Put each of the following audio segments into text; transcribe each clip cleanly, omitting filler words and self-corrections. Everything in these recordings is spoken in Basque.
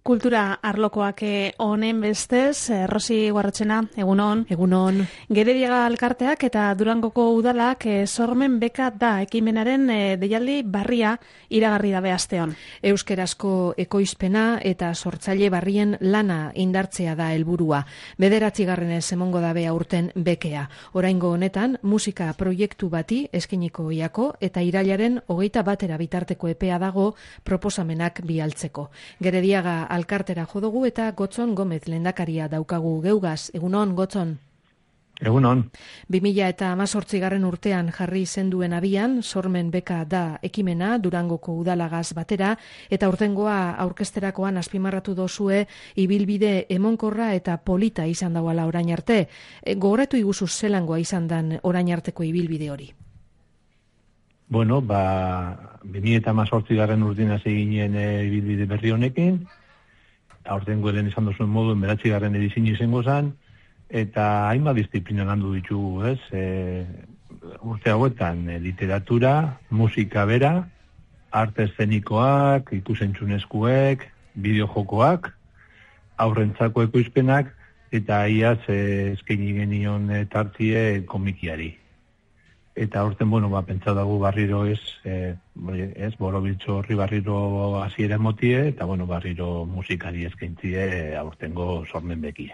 Kultura arlokoak honen bestez, Rosi Guarrotxena, egunon. Egunon. Gerediaga Alkarteak eta Durangoko Udalak sormen beka da ekimenaren deialdi barria iragarri dabe asteon. Euskerazko ekoizpena eta sortzaile barrien lana indartzea da helburua. 9. emongo dabe aurten bekea. Oraingo honetan musika proiektu bati eskiniko iako eta irailaren 21 bitarteko epea dago proposamenak bialtzeko. Gerediaga Alkartera jodugu eta Gotzon Gomez lehendakaria daukagu geugaz. Egunon, Gotzon? Egunon. 2018 urtean jarri zenduen abian, sormen beka da ekimena Durangoko udalagaz batera, eta urtengoa aurkezterakoan azpimarratu dozue ibilbide emonkorra eta polita izan dauala orain arte. Gogoratu iguzu zelangoa izan dan orain arteko ibilbide hori? Bueno, 2018 urtean hasi ginen ibilbide berri honekin, aurtengo lehen izan duzuen moduen 9. edizio izango zen, eta hainbat disiplina landu ditugu, ez? Urte hauetan literatura, musika bera, arte eszenikoak, ikusentzunezkoek, bideojokoak, aurrentzako ekoizpenak, eta iaz eskaini genion tartie komikiari. Eta horten, pentsa dago barriro borobiltzo horri barriro hasiera emotie, eta barriro musikari eskaintzie aurtengo sormen bekie.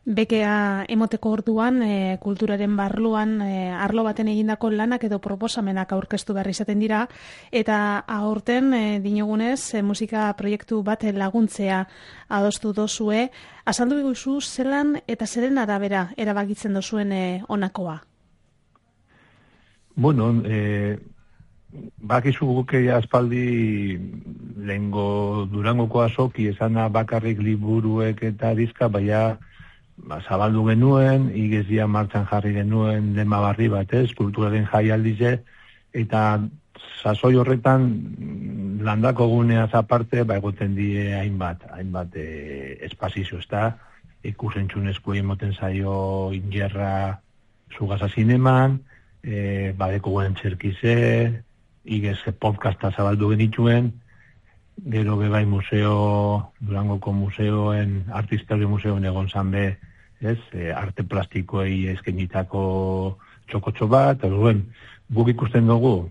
Bekea emoteko orduan, kulturaren barluan, arlo baten egindako lanak edo proposamenak aurkeztu behar izaten dira, eta aurten, dinogunez, musika proiektu bat laguntzea adostu dozue. Azaldu eguzu zelan eta zeren arabera erabakitzen dozuen honakoa? Bakizu guke aspaldi lehengo Durangoko azoki esana bakarrik liburuek eta dizka, baina zabaldu genuen, igezia martxan jarri genuen lema barri bat, kulturaren jaialdize, eta sasoi horretan landako guneaz aparte, egoten die hainbat espazizio, ez da, ikusentzunezko emoten zaio ingerra Zugasa zineman, badeko guen txerkize, igez podcasta zabaldu genituen, gero bebai Durangoko museoen, artistario museoen egon zanbe, arte plastikoei eskenitako txokotxo bat, guk ikusten dugu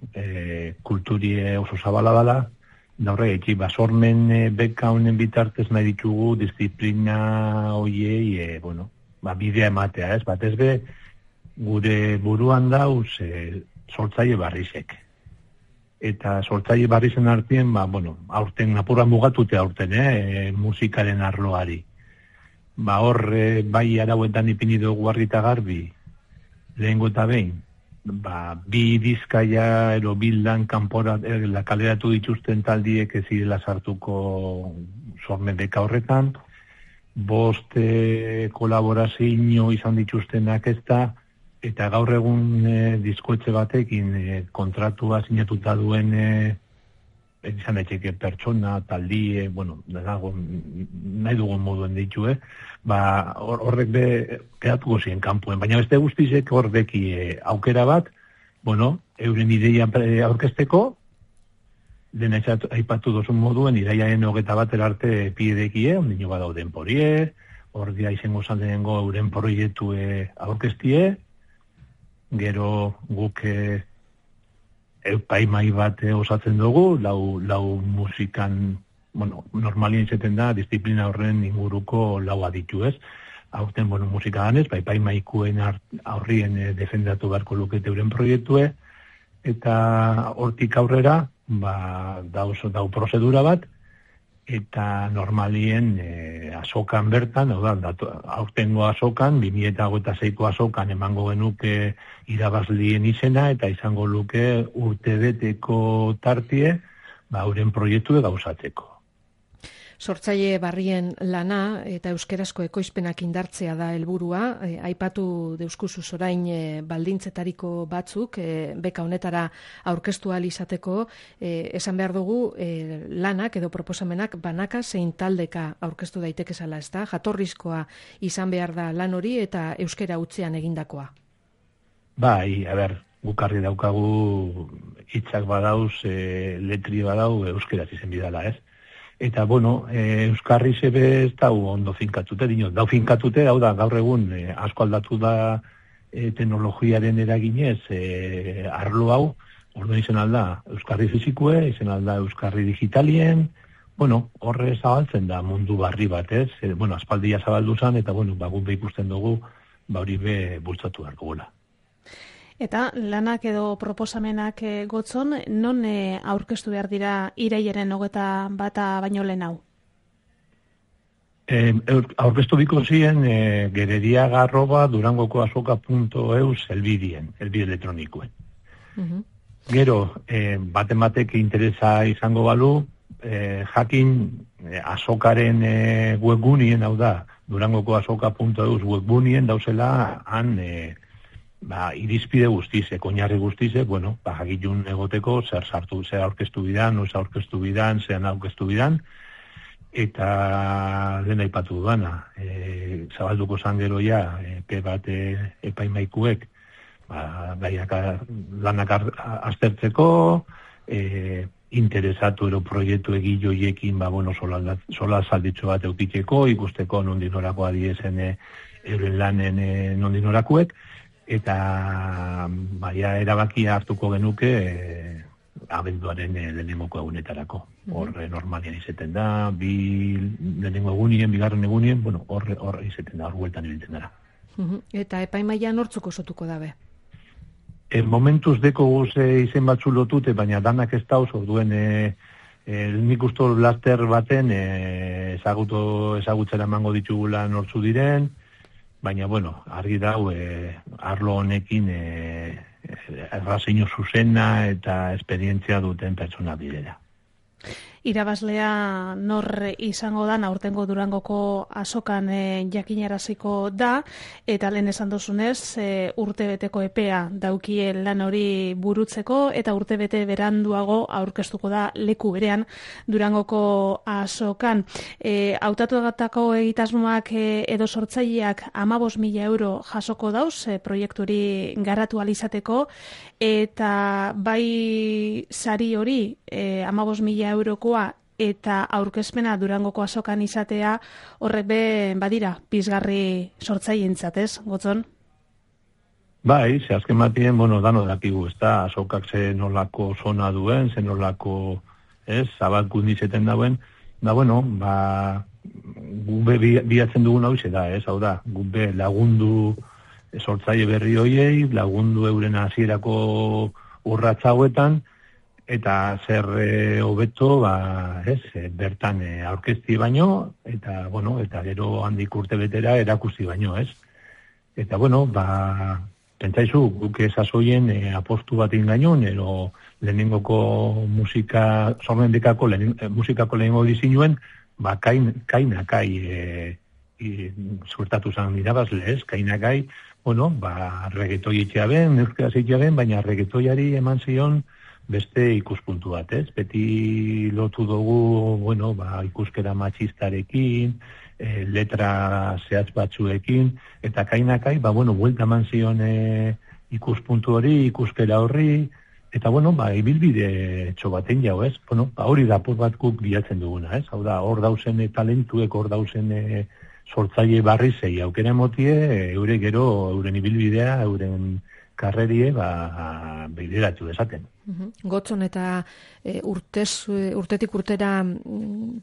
kulturie oso zabala dela, da horrek, sormen beka honen bitartez nahi ditugu disiplina hoiei, bidea ematea, batez be, gure buruan dauz sortzaile barrizek. Eta sortzaile barrizen artien, aurten apurra mugatute aurten, musikaren arloari. Hor, bai arauetan ipini dugu argi eta garbi, lehengo eta behin, bi dizkaia ero bildan kanpora kaleratu dituzten taldiek ez zirela sartuko sormen beka horretan, 5 kolaborazio izan dituztenak ez da, eta gaur egun diskoetxe batekin kontratua sinatuta duen izan daiteke pertsona, taldie, nahi dugun moduen ditu, horrek kedatuko ziren kanpuen, baina beste guztizek horreki aukera bat, euren ideia aurkezteko, dena aipatu dozun moduen, iraiaren 21 arte pidekie, ondino badau denporie, ordia izango zandenengo euren proiektu aurkeztie, gero guk epaimai bat osatzen dugu, lau musikan, normalien izaten da, disiplina horren inguruko lau aditu ez. Aurten, musika ganez, epaimaikuen aurrien defendatu beharko lukete euren proiektue, eta hortik aurrera, dau prozedura bat, eta normalien azokan bertan, aurtengo azokan, 2026ko azokan emango genuke irabazlien izena, eta izango luke urtebeteko tartie, euren proiektu gauzatzeko. Sortzaile barrien lana eta euskerazko ekoizpenak indartzea da helburua. Aipatu deuskuzu orain baldintzetariko batzuk beka honetara aurkeztu ahal izateko, esan behar dugu lanak edo proposamenak banaka zein taldeka aurkeztu daitekezala, ezta? Jatorrizkoa izan behar da lan hori eta euskera hutzean egindakoa. Bai, gukarri daukagu hitzak badauz, letri badau euskeraz izen bidala, ez? Eta, bueno, Euskarri zebe ez da ondo finkatute, dau finkatute, hau da, gaur egun asko aldatu da teknologiaren eraginez arlo hau, orduan izen alda Euskarri fizikue, izen alda Euskarri digitalien, bueno, horre zabaltzen da mundu barri batez, bueno, aspaldia zabaldu zan, eta, bueno, guk ikusten dugu, hori be bultzatu beharko gula. Eta lanak edo proposamenak gotzon, non aurkeztu behar dira irailaren 21 baino lehen hau? Aurkeztu biko ziren gerediaga@durangokoazoka.eus helbide elektronikoen. Gero, batek interesa izango balu, jakin azokaren webgunien, hau da, durangokoazoka.eus webgunien dauzela han irizpide guztize, oinarri guztize, bueno, jakitun egoteko zer aurkeztu bidan, noiz aurkeztu bidan, zean aurkeztu bidan, eta lehen aipatu duana, zabalduko zan gero ja, epe bat epaimaikuek, lanak aztertzeko, interesatu ero proiektu egiloiekin, sola zalditxo bat eukiteko, ikusteko nondinorako adiezen euren lanen nondinorakuek, eta erabakia hartuko genuke abenduaren lehenengoko egunetarako. Horre normalian izeten da, lehenengo egunien, bigarren egunien, horre izeten da, hor gueltan ibiltzen dara. Eta epaimaia nortzuko sotuko dabe? Momentuz deko guze izen batzu lotute, baina danak ez dauz, orduen nik usto laster baten ezagutzera emango ditugula nortzu diren, baina, bueno, argi dau, arlo honekin errazeino zuzena eta esperientzia duten pertsona direla. Irabazlea nor izango da, aurtengo Durangoko azokan jakinaraziko da, eta lehen esan dozunez, urtebeteko epea daukie lan hori burutzeko, eta urtebete beranduago aurkeztuko da leku berean Durangoko azokan. Hautatuetako egitasmoak edo sortzaileak 15.000 euro jasoko dauz, proiektu hori garatu alizateko, eta bai sari hori 15.000 eurokoa eta aurkezpena Durangoko azokan izatea horrek badira pizgarri sortzaileentzat, ez, Gotzon? Bai, ze azken batien, dano dakigu, ez da, azokak ze nolako zona duen, ze nolako, zabalkundizeten dauen, gube bilatzen dugun hau da, hau da, gube lagundu sortzaile berri hoiei, lagundu euren hasierako urratsa hauetan, eta zer hobeto, bertan aurkezti baino, eta gero handik urte betera erakusti baino, ez? Eta, pentsaizu, guk ezazoien apostu bat ingainon, ero lehenengoko sormendekako musikako lehenengo dizinuen, kainakai suertatu zan irabazle, ez? Kainakai, regetoi etxea ben, euskera zeitea ben, baina regetoiari eman zion beste ikuspuntu bat, ez? Beti lotu dugu, ikuskera matxistarekin, letra zehatz batzuekin, eta kainakai, buelta eman zion ikuspuntu hori, ikuskera horri, eta, ibilbide txo baten jau, ez? Hori da apur bat guk bilatzen duguna, ez? Hau da, hor dauzen talentuek, hor dauzen sortzaile barri zei aukera emotie, eure gero, euren ibilbidea, euren karrerie, bideratu dezaten. Gotzon eta urtetik urtera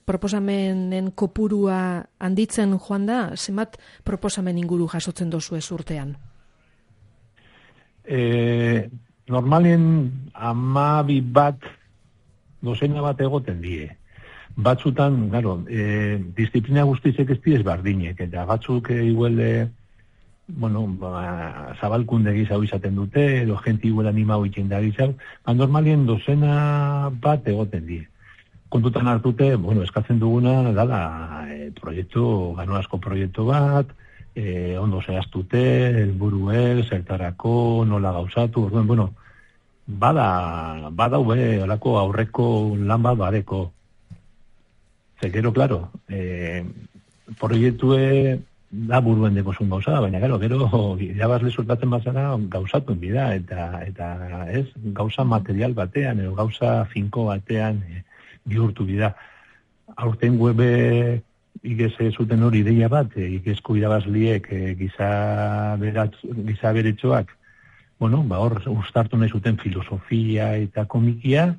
proposamenen kopurua handitzen joan da, zenbat proposamen inguru jasotzen dozu ez urtean? Normalien 12 dozena bat egoten die. Batzutan, disiplina guztizek ez diez bardinek, eta batzuk igual zabalkunde gizau izaten dute, edo jenti igual animau itzen da gizau, normalien dozena bat egoten die. Kontutan hartute, eskatzen duguna, dala, ganoazko proiektu bat, ondo zehaztute, helburuek, zertarako, nola gauzatu, orduen, bada olako aurreko lan bat badeko. Zekero, klaro, proiektue da buruen dekozun gauza, baina gero, irabazle suertatzen bazara gauzatuen bida, eta ez, gauza material batean, edo gauza finko batean bihurtu bida. aurten webe igez zuten hori ideia bat, igezko irabazliek giza beretxoak, hor ustartu nahi zuten filosofia eta komikia,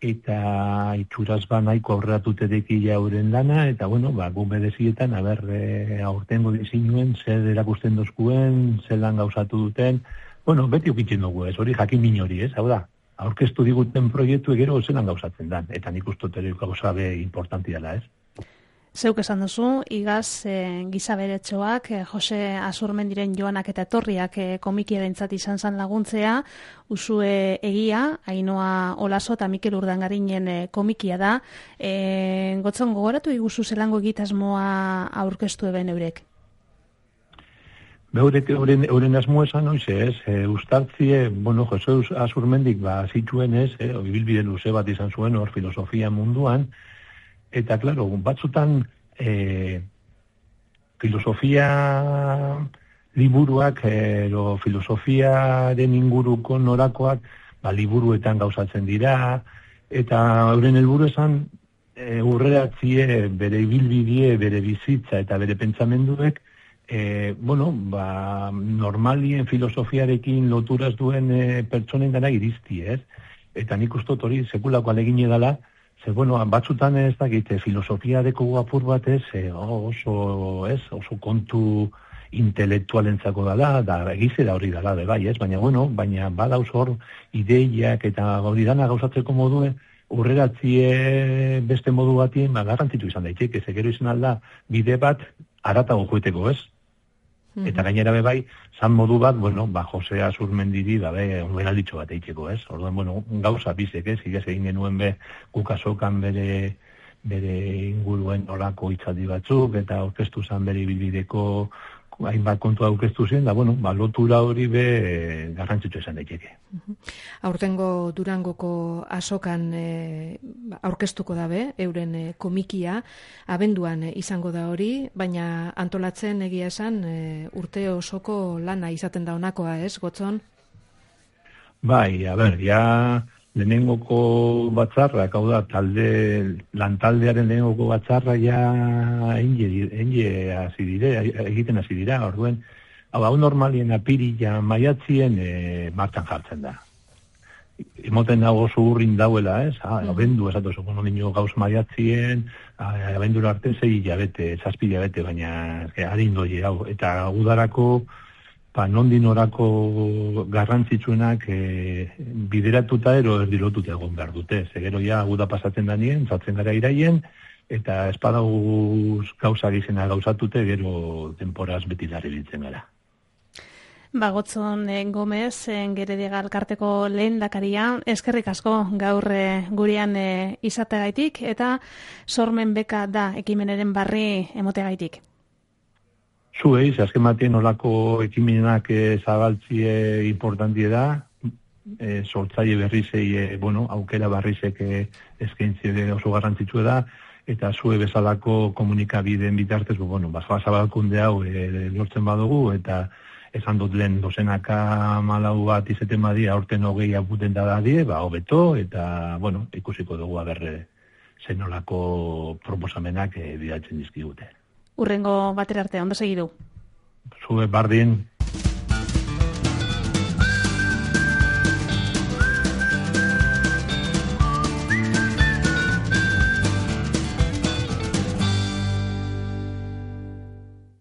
eta itxuraz nahiko aurreratute dekila euren lana, eta gu bedezietan, aurtengo dizinuen, zer erakusten dozkuen, zer lan gauzatu duten, beti ukitzen dugu ez, hori jakin min hori ez, hau da, aurkeztu diguten proiektu egero zer lan gauzatzen dan, eta nik uste dut gauza be importanti dela ez. Zeuk esan duzu, igaz giza beretxoak, Jose Azurmendiren joanak eta etorriak komikiarentzat izan zan laguntzea, Usue Egia, Ainhoa Olaso eta Mikel Urdangarinen komikia da. Gotzon, gogoratu iguzu zelango egitasmoa aurkeztu eben eurek? Euren asmo esan noiz ez, ustartzie, Jose Azurmendik zituen ez, ibilbide luze bat izan zuen hor filosofia munduan, eta, klaro, batzutan filosofia liburuak, filosofiaren inguruko norakoak, liburuetan gauzatzen dira, eta euren helburu esan urreratzie bere ibilbidie, bere bizitza eta bere pentsamenduek, normalien filosofiarekin loturaz duen pertsonen gara irizti, ez? Eta nik ustot hori sekulako alegine dela, batzutan ez dakit, filosofiareko apur bat ez, oso kontu intelektualentzako dela, da egizera hori dela, bai ez, baina badauz hor ideiak eta hori dana gauzatzeko modue, urreratzie beste modu batien, garrantzitu izan daiteke, gero izan alda, bide bat, aratago joeteko ez. Eta gainera bai, zan modu bat, Jose Azurmendiri, ongen alditxo bat eitzeko, ez? Orduan, gauza bizek, ez? Igaz egin genuen kukasokan bere inguruen olako hitzaldi batzuk, eta aurkeztu zan bere bilbideko hainbat kontua aurkeztu zen, lotura hori garrantzitsu esan daiteke. Aurtengo Durangoko azokan aurkeztuko dabe, euren komikia, abenduan izango da hori, baina antolatzen egia esan urte osoko lana izaten da honakoa, ez, Gotzon? Bai, lehenengoko batzarrak, hau da, lantaldearen lehenengoko batzarra egiten hasi dira, orduen, hau normalien apirila maiatzien martxan jartzen da. Emoten dago zurrin dauela, ez? Abendu esatu zuko nio gauz maiatzien, abendura arte 6 hilabete, 7 hilabete, baina harin doi, eta udarako, nondin orako garrantzitsuenak bideratuta erdilotuta egon behar dute. Gero guda pasatzen danien, zatzen gara iraien, eta espadaguz gauza gizena gauzatute, gero temporaz beti larri biltzen gara. Gotzon Gomez, Gerediaga Elkarteko lehendakaria, eskerrik asko gaur gurean izategaitik, eta sormen beka da ekimenaren barri emotegaitik. Zueiz, azken batien olako ekimenak zabaltzie importantie da, sortzaile berrizei, aukera barrizek eskaintzie oso garrantzitsua da, eta zue bezalako komunikabideen bitartez, zabalkunde hau lortzen badugu, eta esan dut lehen dozenaka malau bat izeten badi, aurten 20 aputen da dadie, hobeto, eta, ikusiko dugu aberre zenolako proposamenak bidaltzen dizkigute. Urrengo batera arte, ondo segidu. Zue bardin.